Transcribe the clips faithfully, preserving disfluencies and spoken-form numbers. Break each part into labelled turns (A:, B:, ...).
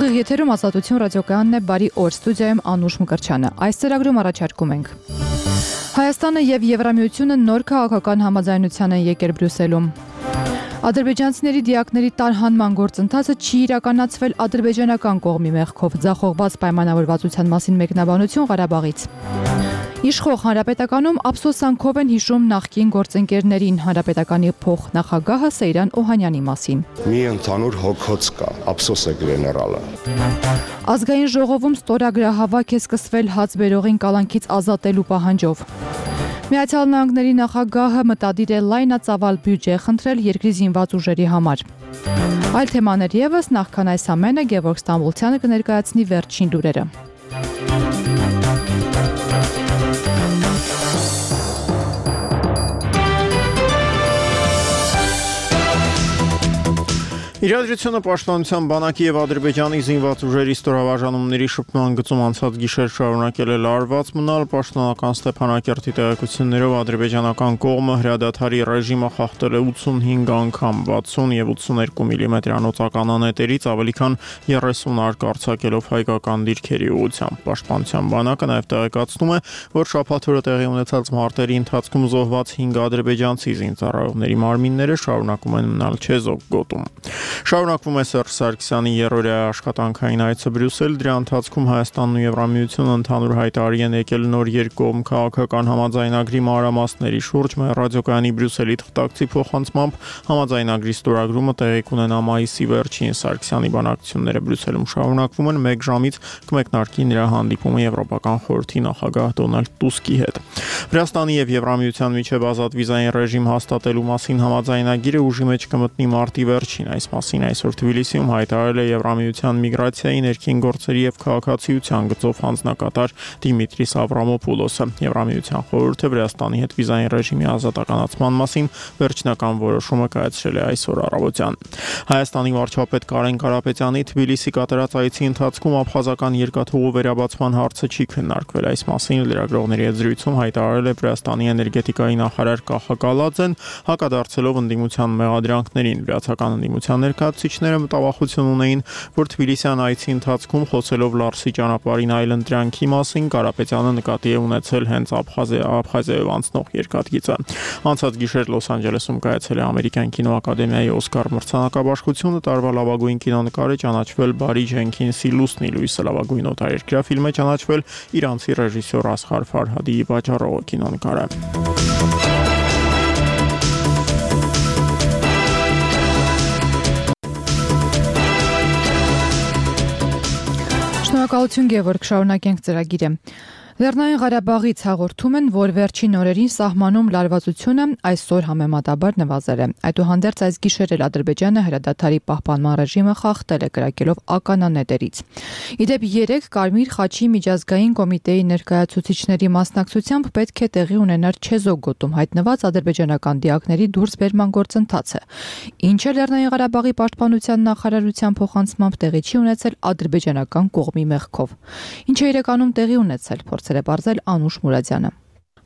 A: Ուղիղ եթերում Ազատություն ռադիոկայանն է, բարի օր, ստուդիայում Անուշ Մկրտչյանը։ Այս ծրագրում առաջարկում ենք. Հայաստանը եւ Եվրամիությունը նոր քաղաքական համաձայնության են եկել Բրյուսելում։ Ադրբեջանցիների դիակների տարհանման գործընթացը չի իրականացվել ադրբեջանական կողմի մեղքով, ձախողված պայմանավորվածության մասին մեկնաբանություն Ղարաբաղից։ Իշխող Հանրապետականում ափսոսանքով են հիշում նախկին գործընկերներին, Հանրապետականի փոխնախագահը Սեյրան Օհանյանի մասին։
B: Մի ընդհանուր հոգոց կա, ափսոս է գեներալը։
A: Ազգային ժողովում ստորագրահավաք է սկսվել հաց բերողին կալանքից ազատելու պահանջով։ Միացյալ Նահանգների նախագահը մտադիր է լայնածավալ բյուջե խնդրել երկրի զինված ուժերի համար։ Այլ թեմաներ ևս, նախքան այս ամենը Գևորգ Ստամբոլցյանը կներկայացնի վերջին լուրերը։
C: Իրադրությունը պաշտպանության բանակի եւ Ադրբեջանի զինված ուժերի ստորաբաժանումների շփման գծում անցած գիշեր շարունակել է լարված մնալ պաշտոնական Ստեփանակերտի տեղեկություններով ադրբեջանական կողմը հրադադարի ռեժիմը խախտել է ութսունհինգ անգամ, վաթսուն եւ ութսուներկու միլիմետրանոց ականանետերից ավելի քան երեսուն արկ արձակելով հայկական դիրքերի ուղղությամբ։ Պաշտպանության բանակը նաեւ տեղեկացնում է, որ շաբաթ օրը տեղի ունեցած մարտերի ընթացքում զոհված հինգ ադրբեջանցի զինծառայողների մարմինները շարունակում են մնալ Չեզոք գոտում։ Շարունակվում է Սերժ Սարգսյանի երրորդյա աշխատանքային այցը Բրյուսել, դրա ընթացքում Հայաստանն ու Եվրամիությունը ընդհանուր հայտարարի են եկել նոր երկկողմ քաղաքական համաձայնագրի մանրամասների շուրջ։ Մեր ռադիոկայանի Բրյուսելի թղթակցի փոխանցմամբ համաձայնագրի ստորագրումը տեղի կունենա մայիսի վերջին։ Սարգսյանի բանակցությունները Բրյուսելում շարունակվում են, մեկ ժամից կմեկնարկի նրա հանդիպումը Եվրոպական խորհրդի նախագահ Դոնալդ Տուսկի հետ։ Վրաստանի եւ Եվրամիության միջև ազատ վիզային ռեժիմ հաստատելու մասին համաձայնագիրը ուժի մեջ կմտնի մարտի վերջին։ Այս մասին այսօր Թբիլիսիում հայտարարել է Եվրամիության միգրացիայի, ներքին գործերի եւ քաղաքացիության գծով հանձնակատար Դիմիտրիս Ավրամոպուլոսը։ Եվրամիության խորհուրդը Վրաստանի հետ վիզային ռեժիմի ազատականացման մասին վերջնական որոշումը կայացրել է այսօր առավոտյան։ Հայաստանի վարչապետ Կարեն Կարապետյանի Թբիլիսի կատարած այցի ընթացքում աբխազական երկաթուղու վերաբացման հարցը չի քննարկվել։ Այս մասին լրագրողների հետ զրույցում հայտարարել է Վրաստանի էներգետիկայի նախարար Կախա Կալաձեն, հակադարձելով ընդդիմության մեղադրանքներին։ Վրացական ընդդիմության ներկայացուցիչները մտավախություն ունեին, որ Թբիլիսյան այցի ընթացքում խոսելով Լարսի ճանապարհին այլընտրանքի մասին Կարապետյանը նկատի է ունեցել հենց Աբխազիայով անցնող երկաթգիծը։ Անցած գիշեր Լոս Անջելեսում կայացել է Ամերիկյան կինոակադեմիայի Օսկար մրցանակաբաշխությունը, տարվա լավագույն կինոնկարը ճանաչվել Բարի Ջենքինսի Լուսնի լույսը, լավագույն օտարերկրյա ֆիլմը ճանաչվել իրանցի ռեժիսոր Ասղար Ֆարհադիի Վաճառողը կինոնկարը։
A: Շնորհակալություն Գևորգ, շարունակենք ծրագիրը։ Լեռնային Ղարաբաղից հաղորդում են, որ վերջին օրերին սահմանում լարվածությունը այսօր համեմատաբար նվազել է։ Այդուհանդերձ այս գիշեր էլ Ադրբեջանը հրադադարի պահպանման ռեժիմը խախտել է կրակելով ականանետերից։ Իդեպ երեք Կարմիր խաչի միջազգային կոմիտեի ներկայացուցիչների մասնակցությամբ պետք է տեղի ունենար Չեզոք գոտում հայտնված ադրբեջանական դիակների դուրսբերման գործընթացը, ինչը Լեռնային Ղարաբաղի պաշտպանության նախարարության փոխանցմամբ տեղի չի ունեցել ադրբեջանական կողմի մեղքով։ Ինչ է իրականում տեղի ունեցել, փորձել է բարձել Անուշ Մուրադյանը։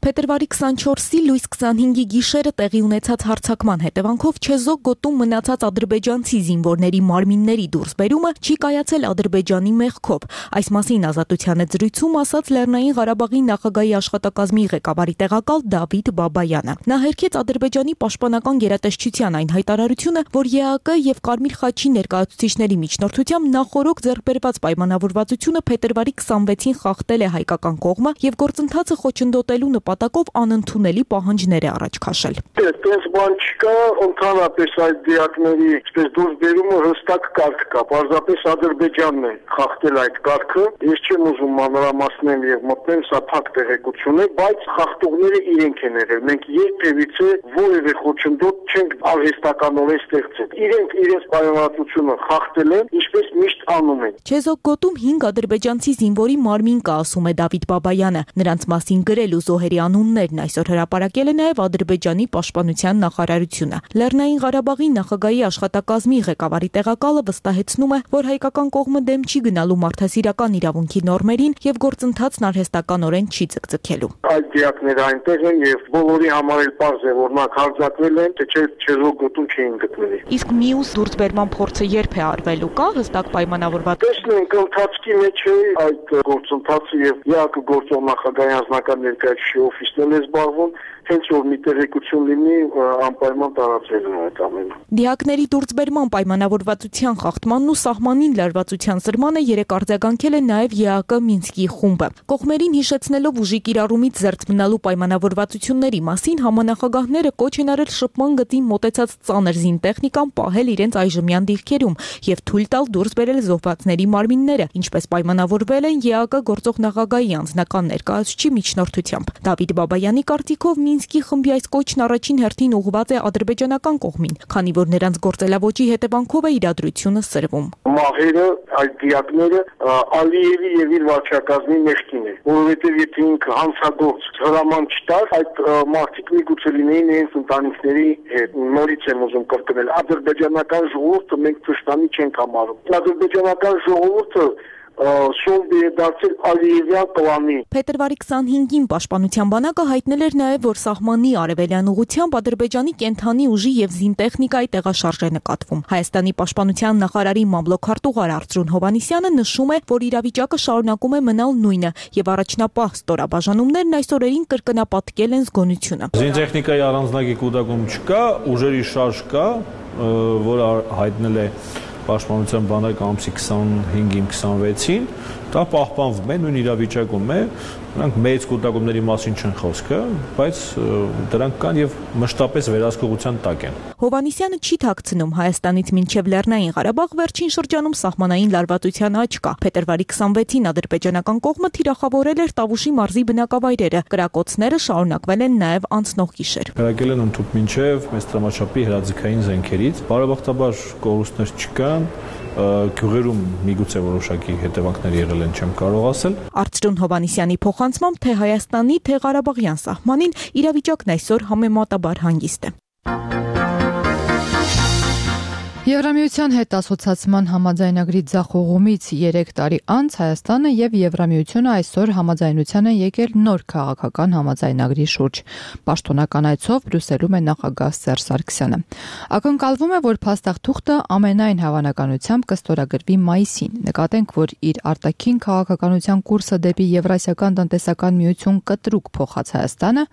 D: Փետրվարի քսանչորսի լույս քսանհինգի գիշերը տեղի ունեցած հարձակման հետևանքով Չեզոք գոտում մնացած ադրբեջանցի զինվորների մարմինների դուրսբերումը չի կայացել Ադրբեջանի մեղքով։ Այս մասին Ազատության հետ զրույցում ասաց Լեռնային Ղարաբաղի նախագահի աշխատակազմի ղեկավարի տեղակալ Դավիթ Բաբայանը։ Նա հերքեց Ադրբեջանի պաշտպանական գերատեսչության այն հայտարարությունը, որ ԵԱԿ եւ Կարմիր խաչի ներկայացուցիչների միջնորդությամբ նախորոք ձեռքբերված պայմանավորվածությունը փետրվարի քսանվեցին խախտել է հայկական կողմը եւ գործընթացը խոչընդոտելու նպատակով անընդունելի պահանջներ է առաջ քաշել։
E: Այդպես բան չկա, ընդհանրապես այդ դիակների այսպես դուրսբերումը հստակ կարգ կա։ Պարզապես Ադրբեջանն է խախտել այդ կարգը։ Ես չեմ ուզում մանրամասնել եւ մտնել, սա փակ տեղեկություն է, բայց խախտողները իրենք են եղել։ Մենք երբևիցե որևէ խոչընդոտ չենք արհեստականորեն ստեղծել։ Իրենք իրենց պայմանավորվածությունը խախտել են, ինչպես միշտ անում են։
D: Չեզոք գոտում հինգ ադրբեջանցի զինվորի մարմին կա, ասում է Դավիթ Բաբայանը։ Նրանց մասին գրել ու զոհերի անուններն այսօր հրապարակել է նաև Ադրբեջանի պաշտպանության նախարարությունը։ Լեռնային Ղարաբաղի նախագահի աշխատակազմի ղեկավարի տեղակալը վստահեցնում է, որ հայկական կողմը դեմ չի գնալու մարդասիրական իրավունքի նորմերին եւ գործընթացն արհեստականորեն չի ցկցկելու։
E: Այդ դիակները այնտեղ են եւ բոլորի համար էլ պարզ է, որ նրանք հարձակվել են, թե չէ Չեզոք գոտում չէին գտնվի։
D: Իսկ մյուս դուրսբերման փորձը երբ է արվելու, կա հստակ պայմանավորված պայմանավորված։
E: Տեսնենք ընթացքի մեջ է այդ գործընթացը եւ ԵԱԿ գործող նախագահի անձնական ներկայացուցիչի օֆիսն է զբաղվում, հենց որ մի տեղեկություն լինի անպայման տարածվելն է այդ ամենը։
D: Դիակների դուրսբերման պայմանավորվածության խախտմանն ու սահմանին լարվածության սրմանը երեք արձագանքել է նաև ԵԱԿ Մինսկի խումբը։ Կողմերին հիշեցնելով ուժի կիրառումից զերծ մնալու պայմանավորվածությունների մասին համանախագահները կոչ են արել շփման գծին մոտեցած ծանր զինտեխնիկան պահել իրենց այժմյան դիրքերում եւ թույլ տալ դուրս բերել զոհվածների մարմինները, ինչպես պայմանավորվել են ԵԱԿ գործող նախագահի անձնական ներկայացուցիչի միջնորդությամբ։ Դավիթ Բաբայանի կարծիքով Մինսկի խմբի այս կոչն առաջին հերթին ուղղված է ադրբեջանական կողմին, քանի որ նրանց գործելավոճի հետևանքով է իրադրությունը սրվում։
E: Մահերը, այդ դիակները Ալիևի եւ իր վարչակազմի մեջքին է, որովհետեւ եթե ինքը հանցագործ հրաման չտար, այդ մարդիկ միգուցե լինեին իրենց ընտանիքների հետ։ Նորից եմ ուզում կրկնել, ադրբեջանական ժողովուրդը մենք թշնամի չենք համարում։ Ադրբեջանական ժողովուրդը Շոնդի է դարձել Ալիևյան կլանի։
D: Փետրվարի քսանհինգին Պաշտպանության բանակը հայտնել էր նաև, որ սահմանի արևելյան ուղությամբ Ադրբեջանի կենթանի ուժի եւ զինտեխնիկայի տեղաշարժ է նկատվում։ Հայաստանի Պաշտպանության նախարարի մամլոք-քարտուղար Արծրուն Հովհաննիսյանը նշում է, որ իրավիճակը շարունակում է մնալ նույնը եւ առաջնապահ ստորաբաժանումներն այս օրերին կրկնապատկել են զգոնությունը։
F: Զինտեխնիկայի առանձնագի կուտակում չկա, ուժերի շարժ կա, որը հայտնել է Պաշտպանության բանակը ամսի քսանհինգին քսանվեցին, դա պահպանվում է, նույն իրավիճակում է, նրանք մեծ կուտակումների մասին չեն խոսքը, բայց դրանք կան եւ մշտապես վերահսկողության տակ են։
D: Հովհաննիսյանը չի թաքցնում, Հայաստանից մինչև Լեռնային Ղարաբաղ վերջին շրջանում սահմանային լարվածության աճ կա։ Փետրվարի քսանվեցին ադրբեջանական կողմը թիրախավորել էր Տավուշի մարզի բնակավայրերը, կրակոցները շարունակվել են նաեւ անցնող գիշեր։
F: Կրակել են ընդհուպ մինչև մեծ տրամաչափի հրաձգային զենքերից, բարեբախտաբար կորուստներ չկան, գյուղերում միգուցե որոշակի հետևանքներ եղել են, չեմ կարող ասել։
D: Արծրուն Հովհաննիսյանի փոխանցմամբ թե Հայաստանի, թե Ղարաբաղյան սահմանին իրավիճակն այսօր համեմատաբար հանգիստ է։
A: Եվրամիության հետ ասոցիացման համաձայնագրի ձախողումից երեք տարի անց Հայաստանը եւ Եվրամիությունը այսօր համաձայնության են եկել նոր քաղաքական համաձայնագրի շուրջ։ Պաշտոնական այցով Բրյուսելում է նախագահ Սերժ Սարգսյանը։ Ակնկալվում է, որ փաստաթուղթը ամենայն հավանականությամբ կստորագրվի մայիսին։ Նկատենք, որ իր արտաքին քաղաքականության կուրսը դեպի Եվրասիական տնտեսական միություն կտրուկ փոխած Հայաստանը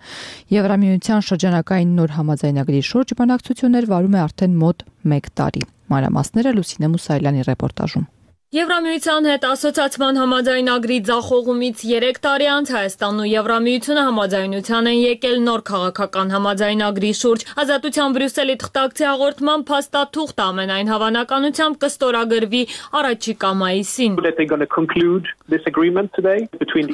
A: Եվրամիության շրջանակային նոր համաձայնագրի շուրջ բանակցություններ վարում է արդեն մոտ մեկ տարի։ Մանրամասները Լուսինե Մուսայելյանի ռեպորտաժում։
G: Եվրամիության հետ ասոցիացման համաձայնագրի ձախողումից երեք տարի անց Հայաստանն ու Եվրամիությունը համաձայնության են եկել նոր քաղաքական համաձայնագրի շուրջ։ Ազատության Բրյուսելի թղթակցի հաղորդման փաստաթուղթը ամենայն հավանականությամբ կստորագրվի առաջիկա մայիսին։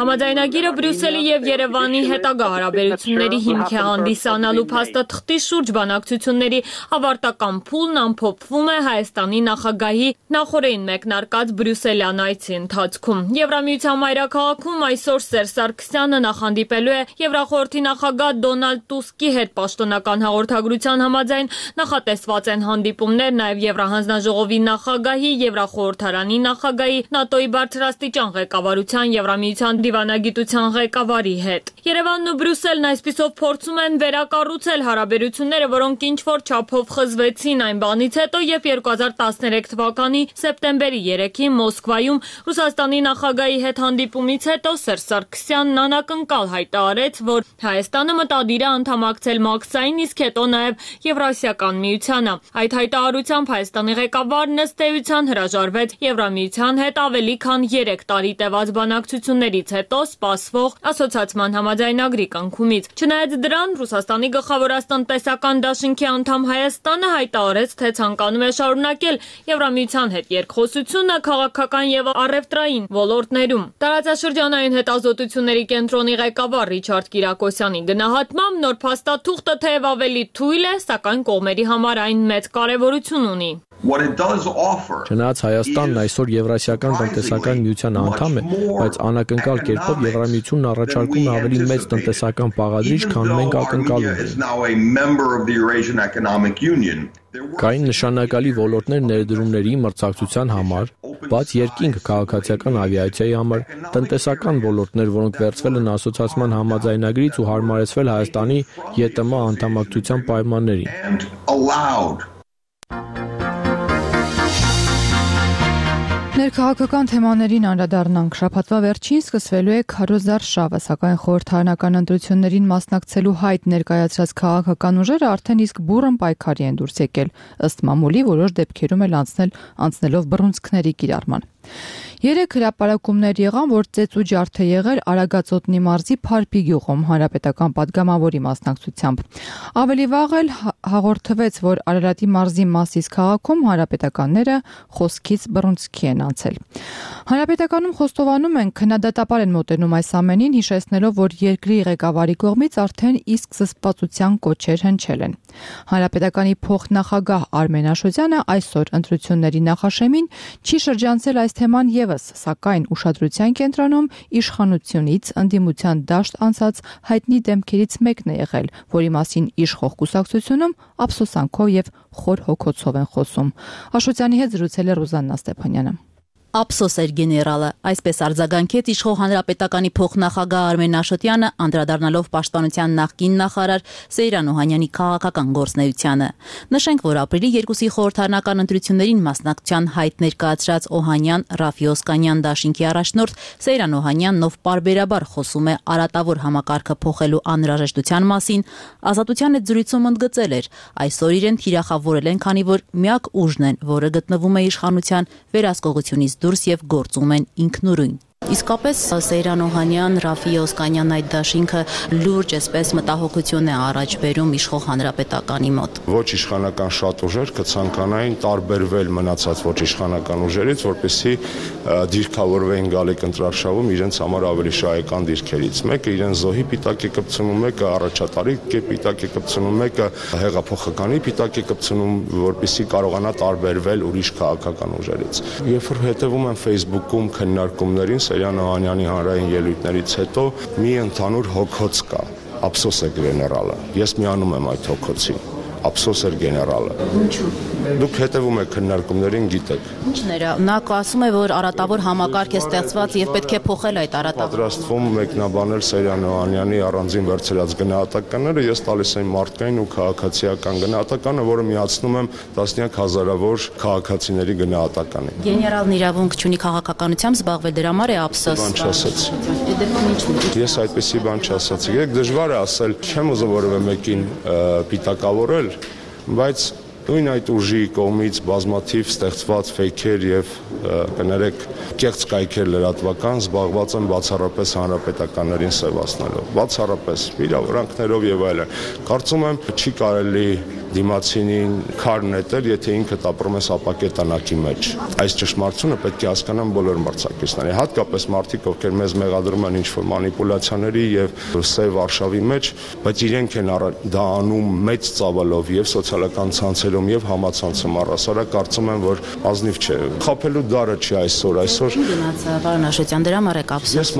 G: Համաձայնագիրը Բրյուսելի եւ Երևանի հետագա հարաբերությունների հիմք է հանդիսանալու փաստաթղթի շուրջ բանակցությունների ավարտական փուլն ամփոփվում է Հայաստանի նախագահի նախորդին մեկնարկած Բրյուսելյան այցի ընթացքում։ Եվրամիության մայրաքաղաքում այսօր Սերժ Սարգսյանը նախհանդիպելու է Եվրախորհրդի նախագահ Դոնալդ Տուսկի հետ պաշտոնական հաղորդագրության համաձայն նախատեսված են հանդիպումներ նաև Եվրահանձնաժողովի նախագահի, Եվրախորհրդարանի նախագահի, ՆԱՏՕ-ի բարձրաստիճան ղեկավարության, Եվրամիության դիվանագիտության ղեկավարի հետ։ Երևանն ու Բրյուսելն այսպիսով փորձում են վերակառուցել հարաբերությունները, որոնք ինչ-որ չափով խզվեցին այն բանից հետո, երբ երկու հազար տասներեք թվականի սեպտեմբերի երեքին Մոսկվայում Ռուսաստանի նախագահի հետ հանդիպումից հետո Սերժ Սարգսյանն անակնկալ հայտարարեց, որ Հայաստանը մտադիր է անդամակցել ՄԱԿՍ-ին, իսկ հետո նաև Եվրասիական միությանը։ Այդ հայտարարությամբ Հայաստանի ղեկավարն ըստ էության հրաժարվեց Եվրամիության հետ ավելի քան երեք տարի տևած բանակցություններից հետո սպասվող ասոցիացման համաձայնագրի կնքումից։ Չնայած դրան, Ռուսաստանի գլխավորած տնտեսական դաշինքի անդամ Հայաստանը հայտարարեց, թե ցանկանում է շարունակել Եվրամիության հետ երկխոսությունը քաղաքական եւ առևտրային ոլորտներում։ Տարածաշրջանային հետազոտությունների կենտրոնի ղեկավար Ռիչարդ Կիրակոսյանի գնահատմամբ նոր փաստաթուղթը թեև ավելի թույլ է, սակայն կողմերի համար այն մեծ կարևորություն ունի։
H: Չնայած Հայաստանն այսօր Եվրասիական տնտեսական միության անդամ է, բայց անակնկալ կերպով Եվրամիությունն առաջարկում է ավելի մեծ տնտեսական բաղադրիչ, քան մենք ակնկալում ենք։ Կային նշանակալի ոլորտներ ներդրումների մրցակցության համար, բաց երկինք քաղաքացիական ավիացիայի համար, տնտեսական ոլորտներ, որոնք վերցվել են ասոցիացման համաձայնագրից ու հարմարեցվել Հայաստանի ԵՏՄ անդամակցության պայմաններին։
A: Ներքաղաքական թեմաներին անդրադառնանք։ Շաբաթվա վերջին սկսվելու է քարոզար շավը, սակայն խորհրդարանական ընտրություններին մասնակցելու հայտ ներկայացրած քաղաքական ուժերը արդեն իսկ բուռն պայքարի են դուրս եկել, ըստ մամուլի որոշ դեպքերում էլ անցնել անցնելով բռունցքների կիրառման։ Երեք հրապարակումներ եղան, որ ծեծ ու ջարդ է եղել Արագածոտնի մարզի Փարպի գյուղում հանրապետական падգամավորի մասնակցությամբ։ Ավելի վաղ էլ հաղորդվեց, որ Արարատի մարզի Մասիս քաղաքում հանրապետականները խոսքից բռունցքի են անցել։ Հանրապետականում խոստովանում են, քննադատաբար են մոտենում այս ամենին, հիշեցնելով, որ երկրի ղեկավարի կողմից արդեն իսկ զսպվածության կոչեր հնչել են։ Հանրապետականի փոխնախագահ Արմեն Աշոտյանը այսօր ընտրությունների նախաշեմին չի շրջանցել այս թեման եւս, սակայն ուշադրության կենտրոնում իշխանությունից ընդդիմության դաշտ անցած հայտնի դեմքերից մեկն է եղել, որի մասին իշխող կուսակցությունում ափսոսանքով եւ խոր հոգոցով են խոսում։ Աշոտյանի հետ զրուցել է Ռուզաննա Ստեփանյանը։
I: Ափսոս էր գեներալը, այսպես արձագանքեց իշխող հանրապետականի փոխնախագահ Արմեն Աշոտյանը, անդրադառնալով պաշտպանության նախկին նախարար Սեյրան Օհանյանի քաղաքական գործունեությանը։ Նշենք, որ ապրիլի երկուսի խորհրդարանական ընտրություններին մասնակցության հայտ ներկայացրած Օհանյան Ռաֆի Օսկանյան դաշինքի առաջնորդ Սեյրան Օհանյանն, ով պարբերաբար խոսում է արատավոր համակարգը փոխելու անհրաժեշտության մասին, Ազատության հետ զրույցում ընդգծել էր, այսօր իրեն թիրախավորել են, քանի որ միակ ուժն են, որը գտնվում է իշխանության վերահսկողությունից դուրս եւ գործում են ինքնուրույն։ Իսկապես Սեյրան Օհանյան, Ռաֆի Օսկանյան այդ դաշինքը լուրջ այսպես մտահոգություն է առաջ բերում իշխող հանրապետականի մոտ։
B: Ոչ իշխանական շատ ուժեր կցանկանային տարբերվել մնացած ոչ իշխանական ուժերից, որպեսզի դիրքավորվեին գալիք ընտրարշավում իրենց համար ավելի շահեկան դիրքերից։ Մեկը իրեն զոհի պիտակ է կպցնում, մեկը առաջատարի պիտակ է կպցնում, մեկը հեղափոխականի պիտակ է կպցնում, որպեսզի կարողանա տարբերվել ուրիշ քաղաքական ուժերից։ Երբ որ հետևում եմ Facebook-ում քննարկումներին Սեյրան Օհանյանի հանրային ելույթներից հետո մի ընդհանուր հոգոց կա, ափսոս է գեներալը։ Ես միանում եմ այդ հոգոցին, ափսոս էր գեներալը։
I: Ինչու՞։
B: Դուք հետևում եք քննարկումներին, գիտեք։
I: Ինչն էր, նա ասում է, որ արատավոր համակարգ է ստեղծված եւ պետք է փոխել այդ արատավորը։
B: Պատրաստվում մեկնաբանել Սեյրան Օհանյանի առանձին վերցրած գնահատականները, ես տալիս եմ մարդկային ու քաղաքացիական գնահատականը, որը միացնում եմ տասնյակ հազարավոր քաղաքացիների գնահատականին։
I: Գեներալն իրավունք չունի քաղաքականությամբ զբաղվել, դրա համար է ափսոս։
B: Բան չասաց։
I: Դեպքում ինչն է։
B: Ես այդպեսի բան չասացի։ Եք դժվար է ասել, չեմ ուզում որևէ մեկին պիտակավորել, բայց նույն այդ ուժի կողմից բազմաթիվ ստեղծված ֆեյքեր եւ կներեք կեղծ կայքեր լրատվական զբաղված են բացառապես հանրապետականներին սևացնելով, բացառապես վիրավորանքներով եւ այլն։ Կարծում եմ չի կարելի դիմացինին քար նետել, եթե ինքը ապրում է սապակետանակի մեջ։ Այս ճշմարտությունը պետք է հասկանան բոլոր մրցակիցները, հատկապես մարդիկ, ովքեր մեզ մեղադրում են ինչ-որ մանիպուլյացիաների եւ սև արշավի մեջ, բայց իրենք են դա անում մեծ ծավալով եւ սոցիալական ցանցերում եւ համացանցում առասարակ, կարծում եմ, որ ազնիվ չէ։ Խափելու դարը չի այսօր, այսօր։
I: Գնացա, պարոն Աշոտյան, դրա համար եք ափսոս։
B: Ես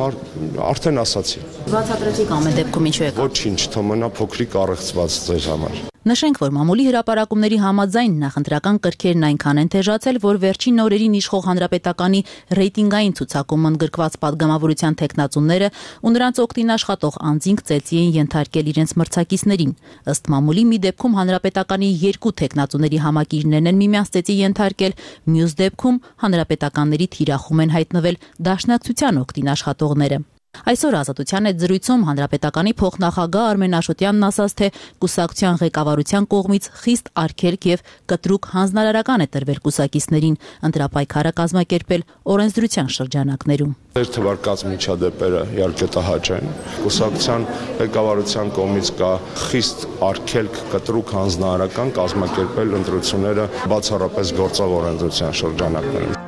B: արդեն ասացի։
I: Բացատրեցիք ամեն դեպքում ինչու եք։
B: Ոչինչ, թող մնա փոքրիկ առեղծված ձեր համար։
I: Նշենք, որ մամուլի հրապարակումների համաձայն նախընտրական կրքերն այնքան են թեժացել, որ վերջին օրերին իշխող հանրապետականի ռեյտինգային ցուցակում ընդգրկված падգամավորության տեխնացուները ու նրանց օգտին աշխատող անձինք ծեծի են ենթարկել իրենց մրցակիցներին։ Ըստ մամուլի մի դեպքում հանրապետականի երկու տեխնացուների համակիրներն են միմյանց ծեծի ենթարկել, մյուս դեպքում հանրապետականների թիրախում են հայտնվել դաշնակցության օգտին աշխատողները։ Այսօր Ազատության հետ զրույցում հանրապետականի փոխնախագահ Արմեն Աշոտյանն ասաց, թե կուսակցության ղեկավարության կողմից խիստ արգելք եւ կտրուկ հանձնարարական է տրվել կուսակիցներին, ընտրապայքարը կազմակերպել օրենսդրության շրջանակներում։
B: Ձեր թվարկած միջադեպերը իհարկե տհաճ են։ Կուսակցության ղեկավարության կողմից կա խիստ արգելք, կտրուկ հանձնարարական կազմակերպել ընտրությունները բացառապես գործող օրենսդրության շրջանակներում։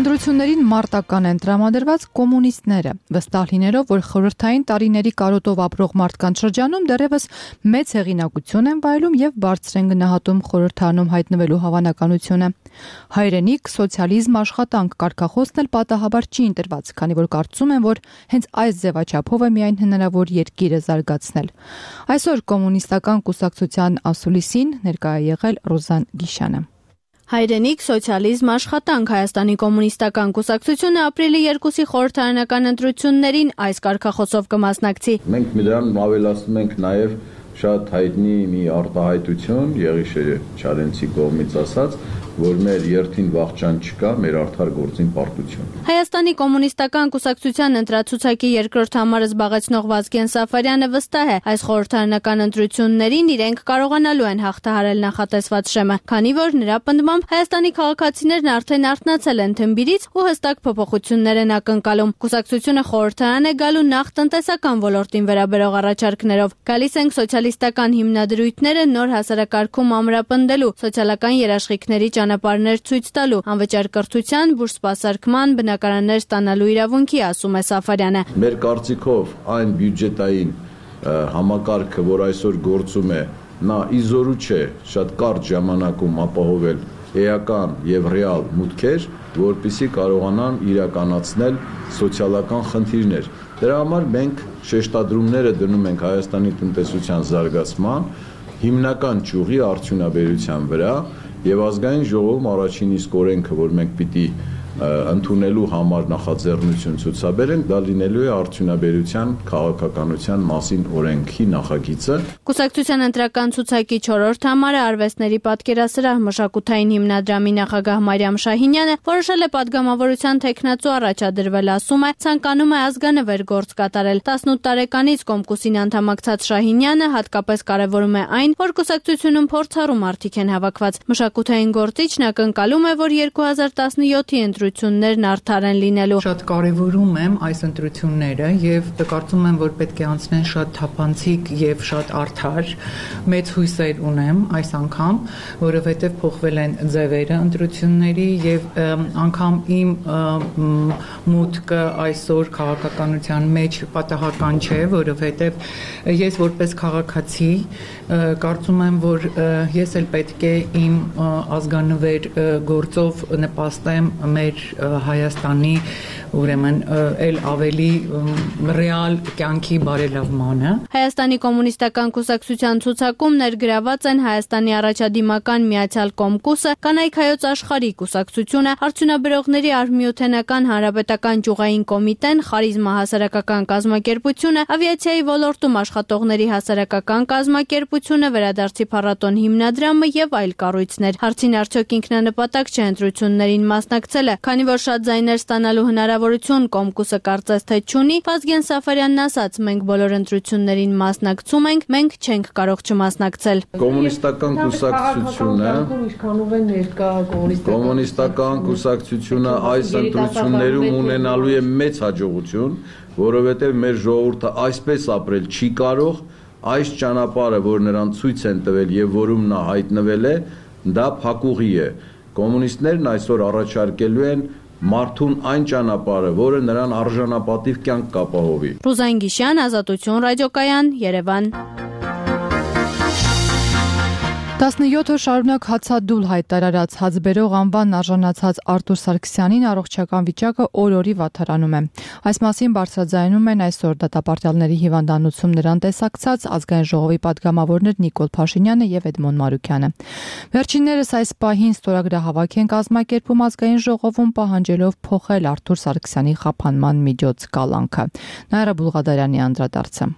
A: Ընտրություններին մարտական են տրամադրված կոմունիստները, վստահ լինելով, որ խորհրդային տարիների կարոտով ապրող մարդկանց շրջանում դեռևս մեծ հեղինակություն են վայելում եւ բարձր են գնահատում խորհրդանում հայտնվելու հավանականությունը։ Հայրենիք, սոցիալիզմ, աշխատանք կարգախոսն էլ պատահաբար չի ընտրված, քանի որ կարծում են, որ հենց այս ձևաչափով է միայն հնարավոր երկիրը զարգացնել։ Այսօր կոմունիստական կուսակցության ասուլիսին ներկայ է եղել Ռոզան Գիշյանը։
J: Հայրենիք, սոցիալիզմ, աշխատանք Հայաստանի կոմունիստական կուսակցությունը ապրիլի երկուսի խորհրդարանական ընտրություններին այս կարգախոսով կմասնակցի։
K: Մենք դրան ավելացնում ենք նաև շատ հայտնի մի արտահայտություն Եղիշե Չարենցի կողմից ասած, որ մեր երթին վախճան չկա, մեր արդար գործին պարտություն։
J: Հայաստանի կոմունիստական կուսակցության ընտրացուցակի երկրորդ համարը զբաղեցնող Վազգեն Սաֆարյանը վստահ է, այս խորհրդարանական ընտրություններին իրենք կարողանալու են հաղթահարել նախատեսված շեմը, քանի որ նրա պնդմամբ Հայաստանի քաղաքացիներն արդեն արթնացել են թմբիրից ու հստակ փոփոխություններ են ակնկալում։ Կուսակցությունը խորհրդարան է գալու նախ տնտեսական ոլորտին վերաբերող առաջարկներով։ Գալիս ենք սոցիալիստական հիմնադրույթները նոր հասարակարգում ամրապնդելու, սոցիալական երաշխիքների ճանապարհներ ցույց տալու, անվճար կրթության, բուժ սպասարկման, բնակարաններ ստանալու իրավունքի, ասում է Սաֆարյանը։
K: Մեր կարծիքով այն բյուջետային համակարգը, որ այսօր գործում է, նա իզորու չէ շատ կարճ ժամանակում ապահովել էական եւ ռեալ մուտքեր, որպիսի կարողանան իրականացնել սոցիալական խնդիրներ։ Դրա համար մենք շեշտադրումները դնում ենք Հայաստանի տնտեսության զարգացման, հիմնական ճյուղի արդյունաբերության վրա եւ ազգային ժողովում առաջին իսկ օրենքը, որ մենք պիտի ընդունելու համար նախաձեռնություն ցուցաբերենք, դա լինելու է արդյունաբերության քաղաքականության մասին օրենքի նախագիծը։
J: Կուսակցության ընտրական ցուցակի չորրորդ համարը արվեստների պատկերասրահ մշակութային հիմնադրամի նախագահ Մարիամ Շահինյանը որոշել է падգամավորության տեխնացու առաջադրվել, ասում է, ցանկանում է ազգանվեր գործ կատարել։ տասնութ տարեկանից Կոմկուսին անդամակցած Շահինյանը հատկապես կարևորում է այն, որ կուսակցությունում փորձառու մարդիկ են հավաքված։ Մշակութային գործիչն ակնկալում է, որ երկու հազար տասնյոթի ընտրություններն արդար են լինելու։
L: Շատ կարևորում եմ այս ընտրությունները եւ կարծում եմ, որ պետք է անցնեն շատ թափանցիկ եւ շատ արդար։ Մեծ հույսեր ունեմ այս անգամ, որովհետեւ փոխվել են ձևերը ընտրությունների եւ անգամ իմ մուտքը այսօր քաղաքականության մեջ պատահական չէ, որովհետեւ ես որպես քաղաքացի կարծում եմ, որ ես էլ պետք է իմ ազգանվեր գործով նպաստեմ մեր Հայաստանի ուրեմն էլ ավելի ռեալ կյանքի բարելավմանը։
J: Հայաստանի կոմունիստական կուսակցության ցուցակում ներգրաված են Հայաստանի առաջադիմական Միացյալ Կոմկուսը, Կանայք հայոց աշխարհի կուսակցությունը, Արդյունաբերողների արհմիութենական հանրապետական ճյուղային կոմիտեն, Խարիզմա հասարակական կազմակերպությունը, ավիացիայի ոլորտում աշխատողների հասարակական կազմակերպությունը, Վերադարձի փառատոն հիմնադրամը եւ այլ կառույցներ։ Հարցին արդյոք ինքնանպատակ չէ ընտրություններին մասնակցելը, քանի որ շատ ձայներ ստանալու հնարավորություն Կոմկուսը կարծես թե չունի, Վազգեն Սաֆարյանն ասաց, մենք բոլոր ընտրություններին մասնակցում ենք, մենք չենք կարող չմասնակցել։
K: Կոմունիստական կուսակցությունը Կոմունիստական կուսակցությունը այս ընտրություններում ունենալու է մեծ հաջողություն, որովհետև մեր ժողովուրդը այսպես ապրել չի կարող, այս ճանապարհը, որ նրան ցույց են տվել եւ որում նա հայտնվել է, դա փակուղի է։ Կոմունիստներն այսօր առաջարկելու են մարդուն այն ճանապարհը, որը նրան արժանապատիվ կյանք կապահովի։
J: Ռուզան Գիշյան, Ազատություն ռադիոկայան, Երևան։
A: տասնյոթ օր շարունակ հացադուլ հայտարարած հացբերող անվան արժանացած Արտուր Սարգսյանին առողջական վիճակը օր-օրի վատթարանում է։ Այս մասին բարձրաձայնում են այսօր դատապարտյալների հիվանդանոցում նրան տեսակցած ազգային ժողովի падգամավորներ Նիկոլ Փաշինյանը եւ Էդմոն Մարուկյանը։ Վերջիններս այս պահին ստորագրահավաք են կազմակերպում ազգային ժողովում պահանջելով փոխել Արտուր Սարգսյանի խափանման միջոց կալանքը։ Նաիրա Բուլղադարյանի անդրադարձը։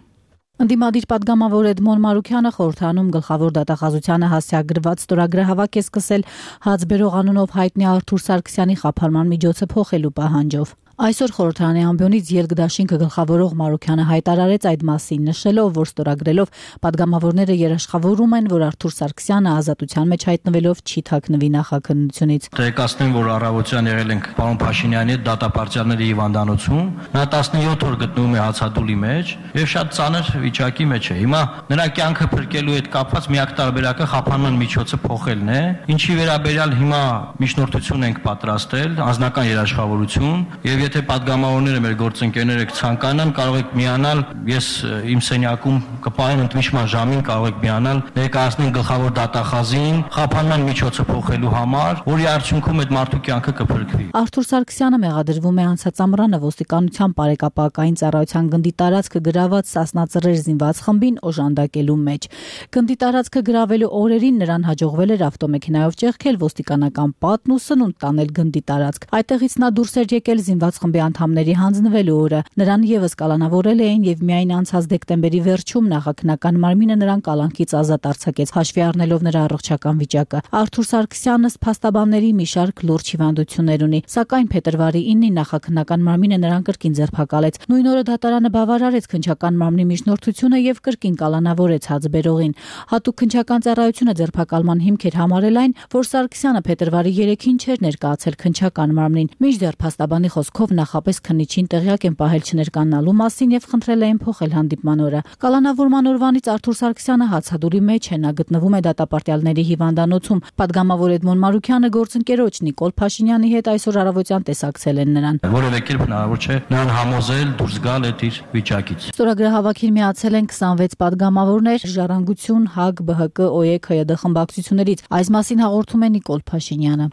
I: Ընդդիմադիր падգամավոր Էդմոն Մարուկյանը խորհրդանում գլխավոր դատախազությանը հասցեագրված ստորագրահավաք է սկսել հացբերող անունով հայտնի Արտուր Սարգսյանի խափանման միջոցը փոխելու պահանջով։ Այսօր խորհրդարանի ամբիոնից ելք դաշինքը գլխավորող Մարուկյանը հայտարարեց այդ մասին, նշելով, որ ստորագրելով падգամավորները երաշխավորում են, որ Արտուր Սարգսյանը ազատության մեջ հայտնվելով չի թաքնվի նախաքննությունից։
M: Տեղեկացնեմ, որ առավոտյան եղել ենք պարոն Փաշինյանի հետ դատապարտյալների հիվանդանոցում։ Նա տասնյոթ օր գտնվում է հացադուլի մեջ եւ շատ ծանր վիճակի մեջ է։ Հիմա նրա կյանքը փրկելու հետ կապված միակ տարբերակը խափանման միջոցը փոխելն է, ինչի վերաբերյալ հիմա միջնորդություն ենք պատրաստել, անձնական երաշխավորություն եւ եթե падգամավորները մեր գործընկերները ցանկանան, կարող եք միանալ, ես իմ սենյակում կպահեմ ընդմիջման ժամին, կարող եք միանալ, ներկայացնեն գլխավոր դատախազին, խափանման միջոցը փոխելու համար, որի արդյունքում այդ մարդու կյանքը կփրկվի։
I: Արթուր Սարգսյանը մեղադրվում է անցած ամռանը ոստիկանության բարեկապակային ծառայության գնդի տարածքը գրաված Սասնա Ծռեր զինված խմբին օժանդակելու մեջ։ Գնդի տարածքը գրավելու օրերին նրան հաջողվել էր ավտոմեքենայով ճեղքել ոստիկանական պատն ու սնունդ տանել գնդի տարածք։ Այդտեղից նա դուրս էր եկել զինված խմբի անդամների հանձնվելու օրը։ Նրան եւս կալանավորել էին եւ միայն անցած դեկտեմբերի վերջում նախաքննական մարմինը նրան կալանքից ազատ արձակեց, հաշվի առնելով նրա առողջական վիճակը։ Արթուր Սարգսյանը փաստաբանների մի շարք լուրջ հիվանդություններ ունի, սակայն փետրվարի ինին նախաքննական մարմինը նրան կրկին ձերբակալեց։ Նույն օրը դատարանը բավարարեց քննչական մարմնի միջնորդությունը եւ կրկին կալանավորեց հացբերողին։ Հատուկ քննչական ծառայությունը ձերբակալման հիմք էր համարել այն, որ Սարգսյանը փետրվարի երեքին չէր ներկայացել քննչական մարմնին։ Մինչդեռ փաստաբանի խոսքով նախապես քննիչին տեղյակ են պահել չներկայանալու մասին եւ խնդրել էին փոխել հանդիպման օրը։ Կալանավորման օրվանից Արթուր Սարգսյանը հացադուլի մեջ է, նա գտնվում է դատապարտյալների հիվանդանոցում։ Պատգամավոր Էդմոն Մարուքյանը գործընկերոջ Նիկոլ Փաշինյանի հետ այսօր առավոտյան տեսակցել են նրան։
M: Որևէ կերպ հնարավոր չէ նրան համոզել դուրս գալ այդ իր վիճակից։
I: Ստորագրահավաքին միացել են քսանվեց պատգամավորներ, Ժառանգություն, ՀԱԿ, ԲՀԿ, ՕԵԿ, ՀՅԴ խմբակցություններից։ Այս մասին հաղորդում է Նիկոլ Փաշինյանը։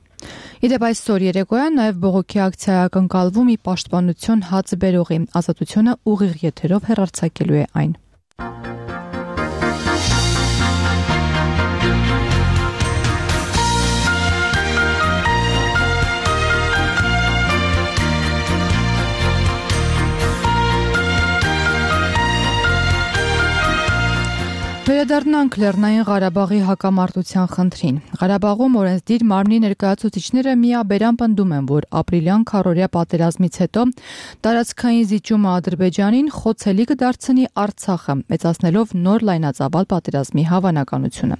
A: Իդեպ այսօր երեկոյան նաև բողոքի ակցիա ակնկալվում ի պաշտպանություն հացբերողի Ազատությունը ուղիղ եթերով հեռարձակելու է այն։ Վերադառնանք Լեռնային Ղարաբաղի հակամարտության խնդրին։ Ղարաբաղում օրենսդիր մարմնի ներկայացուցիչները միաբերան պնդում են, որ ապրիլյան քառօրյա պատերազմից հետո տարածքային զիջումը Ադրբեջանին խոցելի կդարձնի Արցախը, մեծացնելով նոր լայնածավալ պատերազմի հավանականությունը։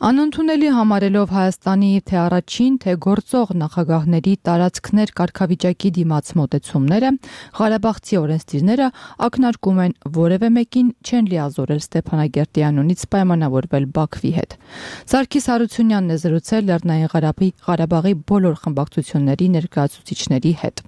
A: Անընդունելի համարելով Հայաստանի թե առաջին, թե գործող նախագահների տարածքներ կարգավիճակի դիմաց մոտեցումները, ղարաբաղցի օրենսդիրները ակնարկում են որևէ մեկին չեն լիազորել Ստեփանագերտի անունից պայմանավորվել Բաքվի հետ։ Սարգիս Հարությունյանն է զրուցել Լեռնային Ղարաբաղի Ղարաբաղի բոլոր խմբակցությունների ներկայացուցիչների հետ։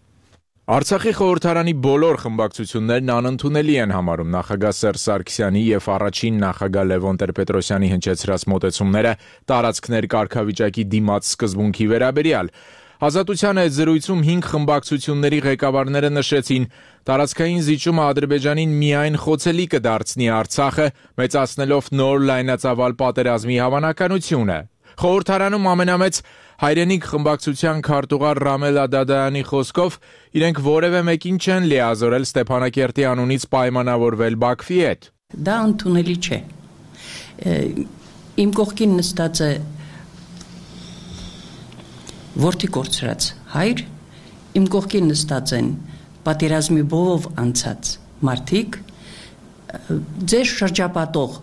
N: Արցախի խորհրդարանի բոլոր խմբակցություններն անընդունելի են համարում նախագահ Սերժ Սարգսյանի եւ առաջին նախագահ Լևոն Տեր-Պետրոսյանի հնչեցրած մոտեցումները տարածքներ կարգավիճակի դիմաց սկզբունքի վերաբերյալ։ Ազատության այդ զրույցում հինգ խմբակցությունների ղեկավարները նշեցին, տարածքային զիջումը Ադրբեջանին միայն խոցելի կդարձնի Արցախը, մեծացնելով նոր լայնածավալ պատերազմի հավանականությունը։ Խորհրդարանում ամենամեծ հայրենիք խմբակցության քարտուղար Ռամել Ադադայանի խոսքով իրենք որևէ մեկին չեն լիազորել Ստեփանակերտի անունից պայմանավորվել Բաքվի հետ։
O: Դա ընդունելի չէ։ Իմ կողքին նստած է որդի կորցրած հայր, իմ կողքին նստած են պատերազմի բովով անցած մարդիկ, ձեր շրջապատող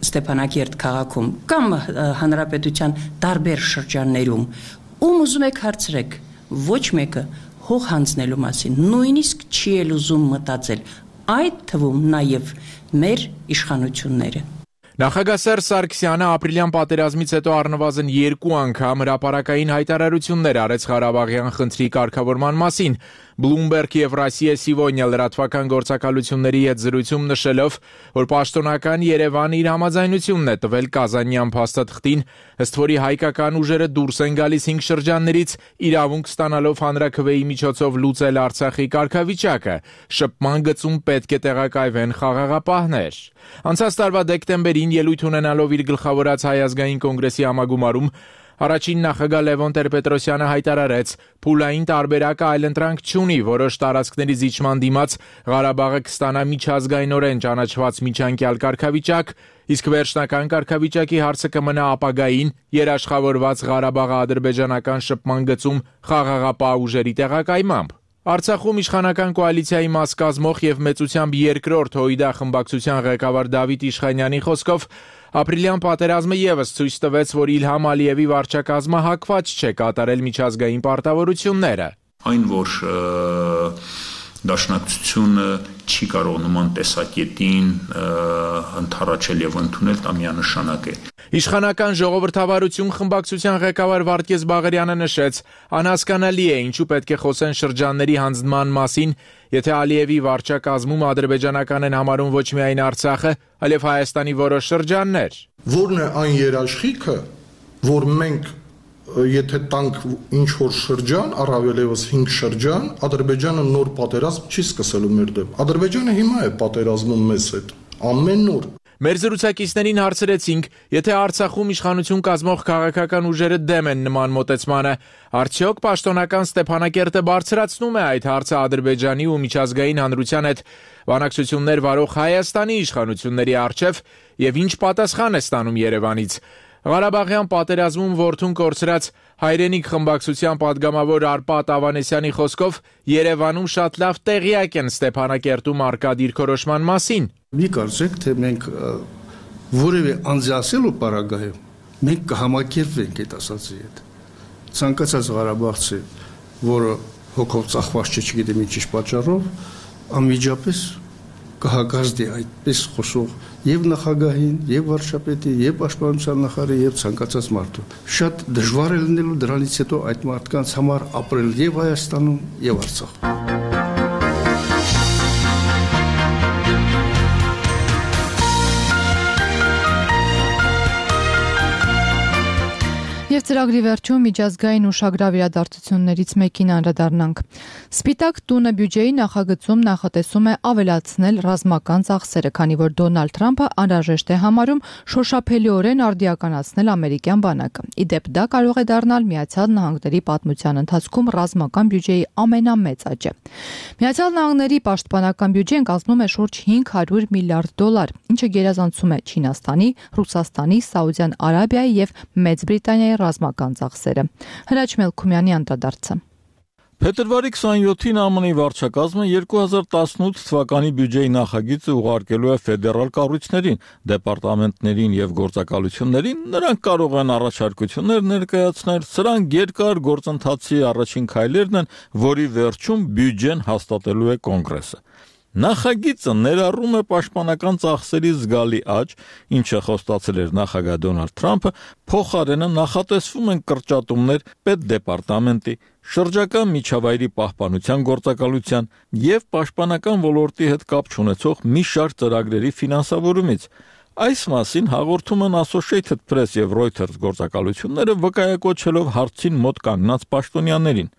O: Ստեփանակերտ քաղաքում կամ հանրապետության տարբեր շրջաններում, ում ուզում եք հարցրեք, ոչ մեկը հող հանձնելու մասին նույնիսկ չի էլ ուզում մտածել, այդ թվում նաև մեր իշխանությունները։
N: Նախագահ Սերժ Սարգսյանը ապրիլյան պատերազմից հետո առնվազն երկու անգամ հրապարակային հայտարարություններ արեց Ղարաբաղյան խնդրի կարգավորման մասին, Bloomberg եւ Россия Сегодня լրատվական գործակալությունների հետ զրույցում նշելով, որ պաշտոնական Երևանը իր համաձայնությունն է տվել Կազանյան փաստաթղթին, ըստ որի հայկական ուժերը դուրս են գալիս հինգ շրջաններից, իրավունք ստանալով հանրաքվեի միջոցով լուծել Արցախի կարգավիճակը, շփման գծում պետք է տեղակայվեն խաղաղապահներ։ Անցած տարվա դեկտեմբերին ելույթ ունենալով իր գլխավորած Հայ ազգային կոնգրեսի համագումարում Առաջին նախագահ Լևոն Տեր-Պետրոսյանը հայտարարեց, փուլային տարբերակը այլընտրանք չունի, որոշ տարածքների զիջման դիմաց Ղարաբաղը կստանա միջազգայինորեն ճանաչված միջանկյալ կարգավիճակ, իսկ վերջնական կարգավիճակի հարցը կմնա ապագային երաշխավորված Ղարաբաղը ադրբեջանական շփման գծում խաղաղապահ ուժերի տեղակայմամբ։ Արցախում իշխանական կոալիցիայի մաս կազմող եւ մեծությամբ երկրորդ Հոյդա խմբակցության ղեկավար Դավիթ Իշխանյանի խոսքով ապրիլյան պատերազմը եւս ցույց տվեց, որ Իլհամ Ալիևի վարչակազմը հակված չէ կատարել միջազգային պարտավորությունները։
P: Այն, որ Դաշնակցությունը չի կարող նման տեսակետին ընդառաջել եւ ընդունել, դա միանշանակ է։
N: Իշխանական ժողովրդավարություն խմբակցության ղեկավար Վարդգես Բաղարյանը նշեց, անհասկանալի է ինչու պետք է խոսեն շրջանների հանձնման մասին, եթե Ալիևի վարչակազմում ադրբեջանական են համարում ոչ միայն Արցախը, այլև Հայաստանի որոշ շրջաններ։
Q: Որն է այն երաշխիքը, որ մենք եթե տանք ինչ որ շրջան, առավել եւս հինգ շրջան, Ադրբեջանը նոր պատերազմ չի սկսելու մեր դեմ։ Ադրբեջանը հիմա է պատերազմում մեզ հետ, ամեն օր։
N: Մեր զրուցակիցներին հարցրեցինք, եթե Արցախում իշխանություն կազմող քաղաքական ուժերը դեմ են նման մոտեցմանը, արդյոք պաշտոնական Ստեփանակերտը բարձրացնում է այդ հարցը Ադրբեջանի ու միջազգային հանրության հետ բանակցություններ վարող Հայաստանի իշխանությունների առջև եւ ինչ պատասխան է ստանում Երևանից։ Ղարաբաղյան պատերազմում որդուն կորցրած Հայրենիք խմբակցության падգամավոր Արպատ Ավանեսյանի խոսքով Երևանում շատ լավ տեղյակ են Ստեփանակերտում առկա դիրքորոշման մասին։
R: Մի կարծեք, թե մենք որևէ անձասելու պարագայում մենք կհամակերպվենք այդ ասածի հետ։ Ցանկացած Ղարաբաղցի, որը հոգով ծախված չէ, չգիտեմ ինչ պատճառով, անմիջապես կհագազդի այդպես խոսող եւ նախագահին, եւ վարչապետին, եւ պաշտպանության նախարարին, եւ ցանկացած մարդու։ Շատ դժվար է լինելու դրանից հետո այդ մարդկանց համար ապրել եւ Հայաստանում, եւ Արցախում։
A: Եվ ծրագրի վերջում միջազգային ուշագրավ իրադարձություններից մեկին անդրադառնանք։ Սպիտակ տունը բյուջեի նախագծում նախատեսում է ավելացնել ռազմական ծախսերը, քանի որ Դոնալդ Թրամփը անհրաժեշտ է համարում շոշափելիորեն արդիականացնել ամերիկյան բանակը։ Ի դեպ, դա կարող է դառնալ Միացյալ Նահանգների պատմության ընթացքում ռազմական բյուջեի ամենամեծ աճը։ Միացյալ Նահանգների պաշտպանական բյուջեն կազմում է շուրջ հինգ հարյուր միլիարդ դոլար, ինչը գերազանցում է Չինաստանի, Ռուսաստանի, Սաուդյան Արաբիայի եւ Մեծ Բրիտանիայի ռազմական ծախսերը։ Հրաչ Մելքումյանի անդրադարձը։
S: Փետրվարի քսանյոթին ԱՄՆ-ի վարչակազմը երկու հազար տասնութ թվականի բյուջեի նախագիծը ուղարկելու է ֆեդերալ կառույցներին, դեպարտամենտներին եւ գործակալություններին, նրանք կարող են առաջարկություններ ներկայացնել, սրանք երկար գործընթացի առաջին քայլերն են, որի վերջում բյուջեն հաստատելու է կոնգրեսը։ Նախագիծը ներառում է պաշտպանական ծախսերի զգալի աճ, ինչը խոստացել էր նախագահ Դոնալդ Թրամփը, փոխարենը նախատեսվում են կրճատումներ պետդեպարտամենտի, շրջակա միջավայրի պահպանության գործակալության եւ պաշտպանական ոլորտի հետ կապ չունեցող մի շարք ծրագրերի ֆինանսավորումից։ Այս մասին հաղորդում են Associated Press եւ Reuters գործակալությունները վկայակոչելով հարցին մոտ կանգնած պաշտոնյաներին։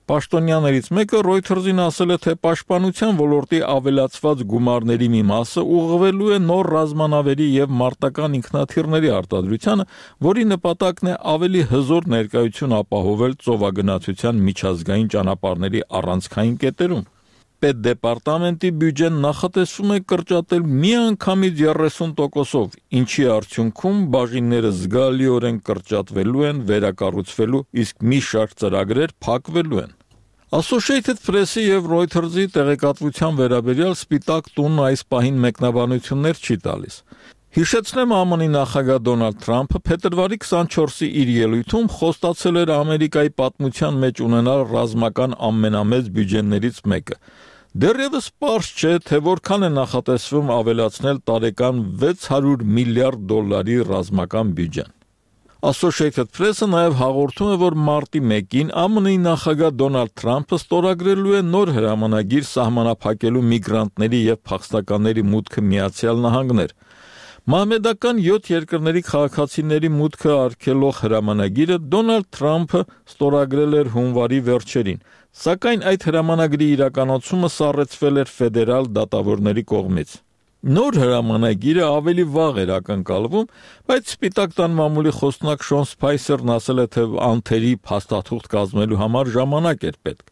S: Պաշտոնյաներից մեկը Reuters-ին ասել է, թե պաշտպանության ոլորտի ավելացված գումարների մի մասը ուղղվելու է նոր ռազմանավերի եւ մարտական ինքնաթիռների արտադրությանը, որի նպատակն է ավելի հզոր ներկայություն ապահովել ծովագնացության միջազգային ճանապարհների առանցքային կետերում։ Պետդեպարտամենտի բյուջեն նախատեսվում է կրճատել միանգամից երեսուն տոկոսով, ինչի արդյունքում բաժինները զգալիորեն կրճատվելու են, վերակառուցվելու, իսկ մի շարք ծրագրեր փակվելու են։ Associated Press-ի եւ Reuters-ի տեղեկատվության վերաբերյալ Սպիտակ տունն այս պահին մեկնաբանություններ չի տալիս։ Հիշեցնեմ, ԱՄՆ-ի նախագահ Դոնալդ Թրամփը փետրվարի քսանչորսի իր ելույթում խոստացել էր Ամերիկայի պատմության մեջ ունենալ ռազմական ամենամեծ բյուջեներից մեկը։ Դեռևս պարզ չէ, թե որքան է նախատեսվում ավելացնել տարեկան վեց հարյուր միլիարդ դոլարի ռազմական բյուջեն։ Associated Press-ը նաև հաղորդում է, որ մարտի մեկին ԱՄՆ-ի նախագահ Դոնալդ Թրամփը ստորագրելու է նոր հրամանագիր սահմանափակելու միգրանտների եւ փախստականների մուտքը Միացյալ Նահանգներ։ Մահմեդական յոթ երկրների քաղաքացիների մուտքը արգելող հրամանագիրը Դոնալդ Թրամփը ստորագրել էր հունվարի վերջերին, սակայն այդ հրամանագրի իրականացումը սառեցվել էր ֆեդերալ դատավորների կողմից։ Նոր հրամանագիրը ավելի վաղ էր ակնկալվում, բայց Սպիտակ տան մամուլի խոսնակ Շոն Սփայսերն ասել է, թե անթերի փաստաթուղթ կազմելու համար ժամանակ էր պետք։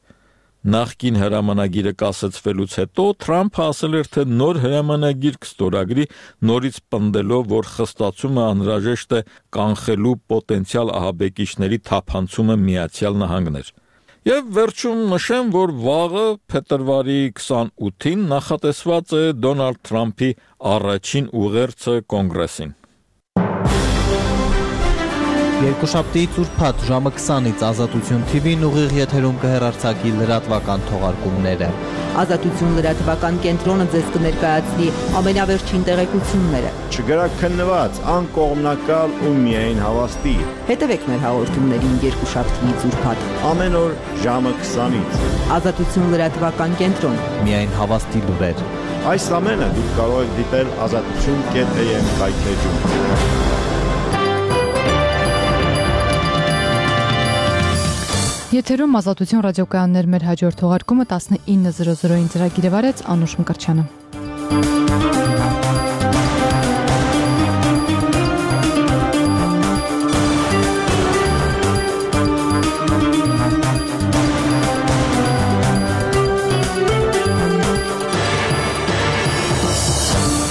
S: Նախկին հրամանագիրը կասեցվելուց հետո Թրամփը ասել էր, թե նոր հրամանագիր կստորագրի, նորից պնդելով, որ խստացումը անհրաժեշտ է կանխելու պոտենցիալ ահաբեկիչների թափանցումը Միացյալ Նահանգներ։ Եվ վերջում նշեմ, որ վաղը փետրվարի քսանութին նախատեսված է Դոնալդ Թրամփի առաջին ուղերձը կոնգրեսին։
T: Երկուշաբթիից ուրբաթ ժամը քսանից Ազատություն թի վին ուղիղ եթերում կհեռարձակի լրատվական թողարկումները։
U: Ազատություն լրատվական կենտրոնը ձեզ կներկայացնի ամենավերջին տեղեկությունները։
V: Չգրակ քննված, անկողմնակալ ու միայն հավաստի։
U: Հետևեք մեր հաղորդումներին երկուշաբթիից ուրբաթ
V: ամեն օր ժամը քսանից։
U: Ազատություն լրատվական կենտրոն։
T: Միայն հավաստի լուրեր։
V: Այս ամենը դուք կարող եք դիտել ազատություն կետ էյ էմ կայքեջում։
A: Եթերում Ազատություն ռադիոկայաններ մեր հաջորդ թողարկումը տասնինը զրո զրոին ծրագիրը վարեց Անուշ Մկրտչյանը։